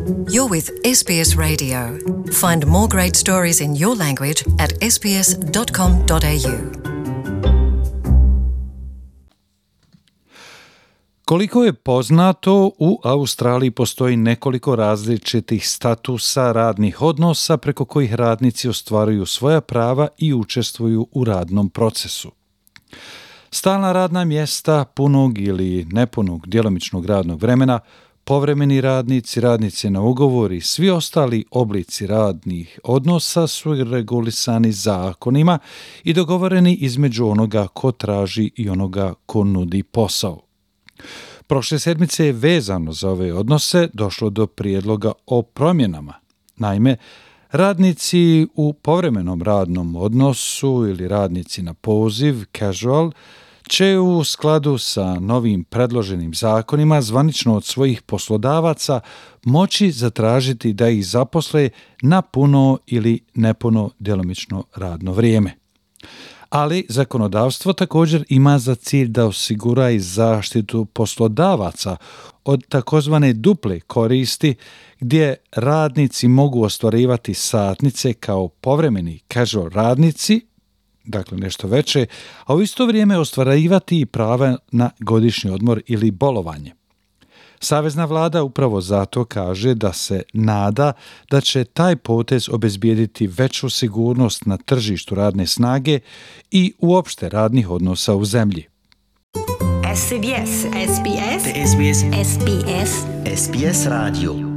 You're with SBS Radio. Find more great stories in your language at sbs.com.au. Koliko je poznato, u Australiji postoji nekoliko različitih statusa radnih odnosa preko kojih radnici ostvaruju svoja prava i učestvuju u radnom procesu. Stalna radna mjesta, punog ili nepunog djelomičnog radnog vremena, povremeni radnici, radnici na ugovor i svi ostali oblici radnih odnosa su regulisani zakonima i dogovoreni između onoga ko traži i onoga ko nudi posao. Prošle sedmice je vezano za ove odnose došlo do prijedloga o promjenama. Naime, radnici u povremenom radnom odnosu ili radnici na poziv, casual, će u skladu sa novim predloženim zakonima zvanično od svojih poslodavaca moći zatražiti da ih zaposle na puno ili nepuno djelomično radno vrijeme. Ali zakonodavstvo također ima za cilj da osigura i zaštitu poslodavaca od takozvane duple koristi gdje radnici mogu ostvarivati satnice kao povremeni casual radnici, dakle nešto veće, a u isto vrijeme ostvarivati i prava na godišnji odmor ili bolovanje. Savezna vlada upravo zato kaže da se nada da će taj potez obezbijediti veću sigurnost na tržištu radne snage i uopšte radnih odnosa u zemlji. SBS SBS SBS SBS SBS Radio.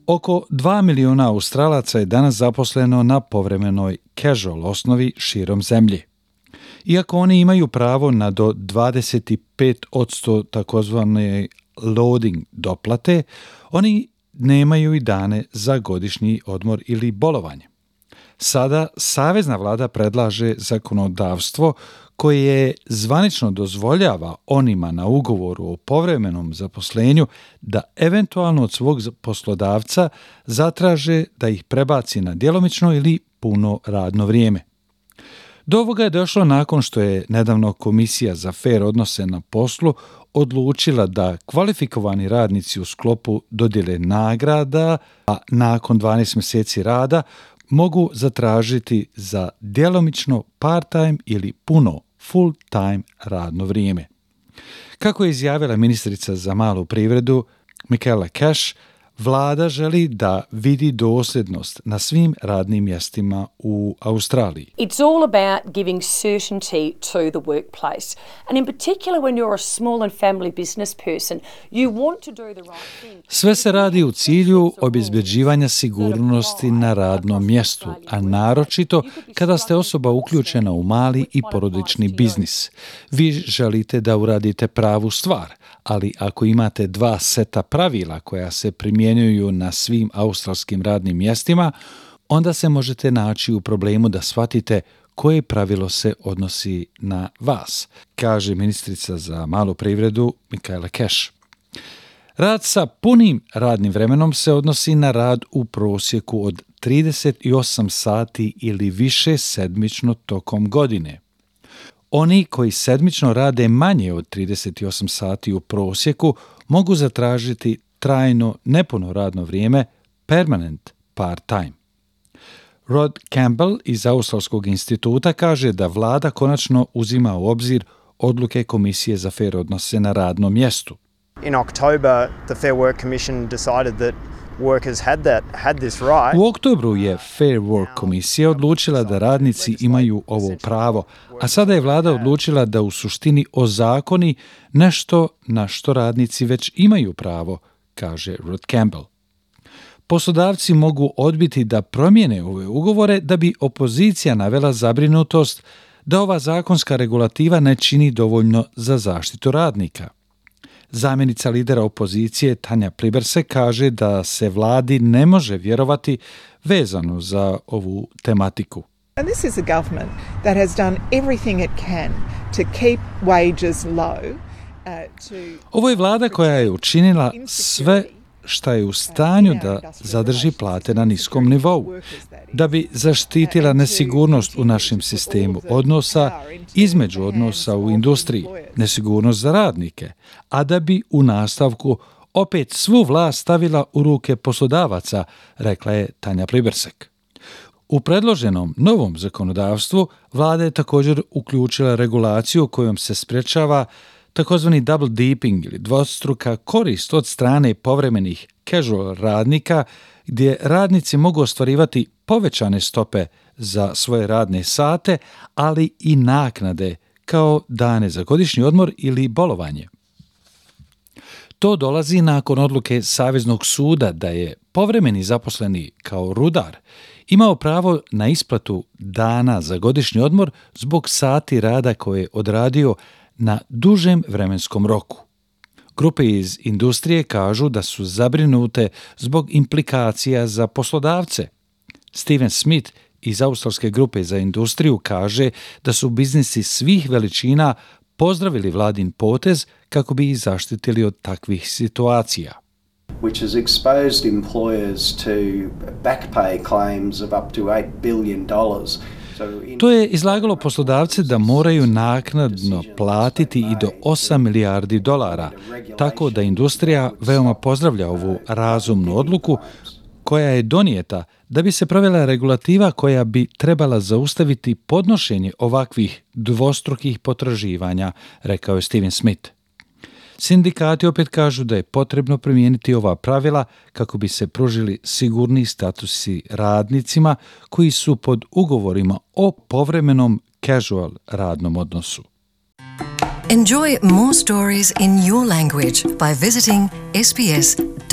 Oko 2 miliona Australaca je danas zaposleno na povremenoj casual osnovi širom zemlje. Iako oni imaju pravo na do 25% takozvane loading doplate, oni nemaju i dane za godišnji odmor ili bolovanje. Sada savezna vlada predlaže zakonodavstvo koje zvanično dozvoljava onima na ugovoru o povremenom zaposlenju da eventualno od svog poslodavca zatraže da ih prebaci na djelomično ili puno radno vrijeme. Do ovoga je došlo nakon što je nedavno Komisija za fer odnose na poslu odlučila da kvalifikovani radnici u sklopu dodjele nagrada, a nakon 12 mjeseci rada mogu zatražiti za djelomično part-time ili puno full-time radno vrijeme. Kako je izjavila ministrica za malu privredu Michaela Cash, vlada želi da vidi dosljednost na svim radnim mjestima u Australiji. It's all about giving certainty to the workplace. And in particular when you're a small and family business person, you want to do the right thing. Sve se radi u cilju obezbeđivanja sigurnosti na radnom mjestu, a naročito kada ste osoba uključena u mali i porodični biznis. Vi želite da uradite pravu stvar, ali ako imate dva seta pravila koja se primjenjuju na svim australskim radnim mjestima, onda se možete naći u problemu da shvatite koje pravilo se odnosi na vas, kaže ministrica za malu privredu Michaela Cash. Rad sa punim radnim vremenom se odnosi na rad u prosjeku od 38 sati ili više sedmično tokom godine. Oni koji sedmično rade manje od 38 sati u prosjeku mogu zatražiti trajno nepuno radno vrijeme, permanent part-time. Rod Campbell iz Australskog instituta kaže da vlada konačno uzima u obzir odluke Komisije za fer odnose na radnom mjestu. In October, the Fair Work Commission decided that workers had this right. U oktobru je Fair Work komisija odlučila da radnici imaju ovo pravo, a sada je vlada odlučila da u suštini ozakoni nešto na što radnici već imaju pravo, kaže Rod Campbell. Poslodavci mogu odbiti da promijene ove ugovore da bi opozicija navela zabrinutost da ova zakonska regulativa ne čini dovoljno za zaštitu radnika. Zamjenica lidera opozicije Tanja Pliberse kaže da se vladi ne može vjerovati vezano za ovu tematiku. And this is a government that has done everything it can to keep wages low. Ovo je vlada koja je učinila sve šta je u stanju da zadrži plate na niskom nivou, da bi zaštitila nesigurnost u našem sistemu odnosa između odnosa u industriji, nesigurnost za radnike, a da bi u nastavku opet svu vlast stavila u ruke poslodavaca, rekla je Tanja Plibersek. U predloženom novom zakonodavstvu vlada je također uključila regulaciju kojom se sprječava takozvani double dipping ili dvostruka korist od strane povremenih casual radnika, gdje radnici mogu ostvarivati povećane stope za svoje radne sate, ali i naknade kao dane za godišnji odmor ili bolovanje. To dolazi nakon odluke Saveznog suda da je povremeni zaposleni kao rudar imao pravo na isplatu dana za godišnji odmor zbog sati rada koje je odradio na dužem vremenskom roku. Grupe iz industrije kažu da su zabrinute zbog implikacija za poslodavce. Steven Smith iz australske grupe za industriju kaže da su biznisi svih veličina pozdravili vladin potez kako bi ih zaštitili od takvih situacija. Which has exposed employers to back pay claims of up to $8 billion. To je izlagalo poslodavce da moraju naknadno platiti i do $8 milijardi, tako da industrija veoma pozdravlja ovu razumnu odluku koja je donijeta da bi se provela regulativa koja bi trebala zaustaviti podnošenje ovakvih dvostrukih potraživanja, rekao je Steven Smith. Sindikati opet kažu da je potrebno primijeniti ova pravila kako bi se pružili sigurni statusi radnicima koji su pod ugovorima o povremenom casual radnom odnosu. Enjoy more stories in your language by visiting sbs.com.au.